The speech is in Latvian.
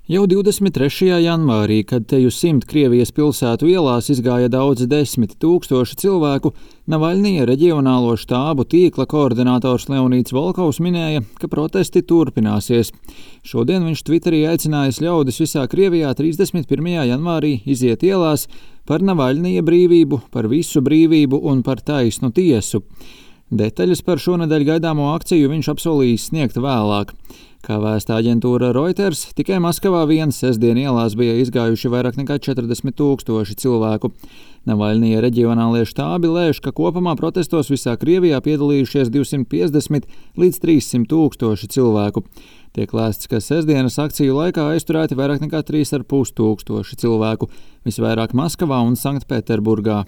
Jau 23. janvārī, kad teju 100 Krievijas pilsētu ielās izgāja daudzi desmit tūkstoši cilvēku, Navaļnija reģionālo štābu tīkla koordinators Leonīds Volkovs minēja, ka protesti turpināsies. Šodien viņš Twitterī aicinājis ļaudis visā Krievijā 31. janvārī iziet ielās par Navaļnija brīvību, par visu brīvību un par taisnu tiesu. Detaļas par šonedēļ gaidāmo akciju viņš apsolījis sniegt vēlāk. Kā vēsta aģentūra Reuters, tikai Maskavā vien sestdien ielās bija izgājuši vairāk nekā 40 000 cilvēku. Navaļnija reģionālie štābi lēš, ka kopumā protestos visā Krievijā piedalījušies 250 līdz 300 000 cilvēku. Tiek lēsts, ka sestdienas akciju laikā aizturēti vairāk nekā 3,5 tūkstoši cilvēku, visvairāk Maskavā un Sanktpēterburgā.